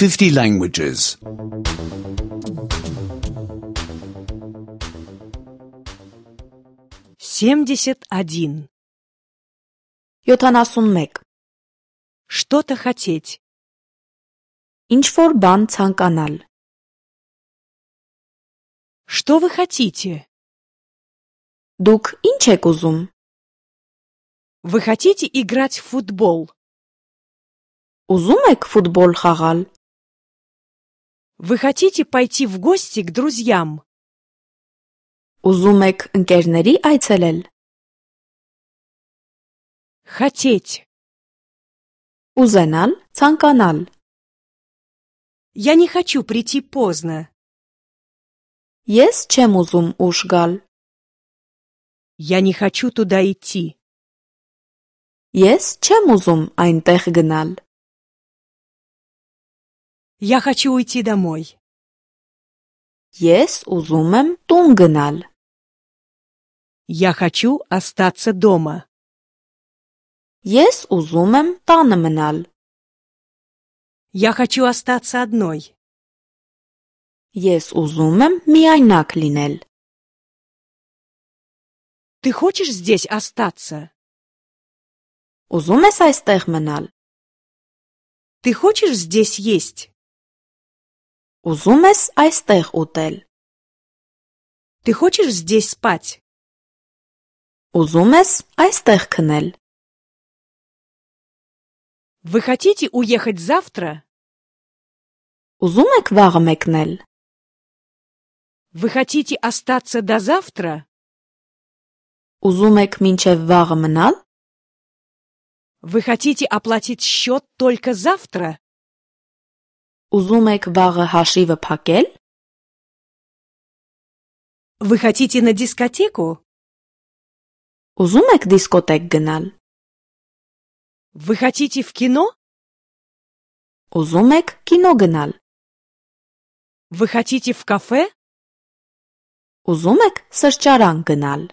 50 languages. 71. 71. Что-то хотеть. Ինչ-որ բան ցանկանալ. Что вы хотите? Դուք ինչ եք ուզում? Вы хотите играть в футбол? Ուզում եք ֆուտբոլ խաղալ? Вы хотите пойти в гости к друзьям? Ուզում եք ընկերների այցելել? Хотеть. Ուզենալ, ցանկանալ. Я не хочу прийти поздно. Ես չեմ ուզում ուշ գալ. Я не хочу туда идти. Ես չեմ ուզում այնտեղ գնալ. Я хочу уйти домой. Ես ուզում եմ տուն գնալ. Я хочу остаться дома. Ես ուզում եմ տանը մնալ. Я хочу остаться одной. Ես ուզում եմ միայնակ լինել. Ты хочешь здесь остаться? Ուզում ես այստեղ մնալ? Ты хочешь здесь есть? Ուզում ես այստեղ ուտել? Ты хочешь здесь спать? Ուզում ես այստեղ քնել? Вы хотите уехать завтра? Ուզում եք վաղը մեկնել? Вы хотите остаться до завтра? Ուզում եք մինչև վաղը մնալ? Вы хотите оплатить счет только завтра? Ուզում եք վաղը հաշիվը փակել? Вы хотите на дискотеку? Ուզում եք դիսկոտեկ գնալ? Вы хотите в кино? Ուզում եք կինո գնալ? Вы хотите в кафе? Ուզում եք սրճարան գնալ?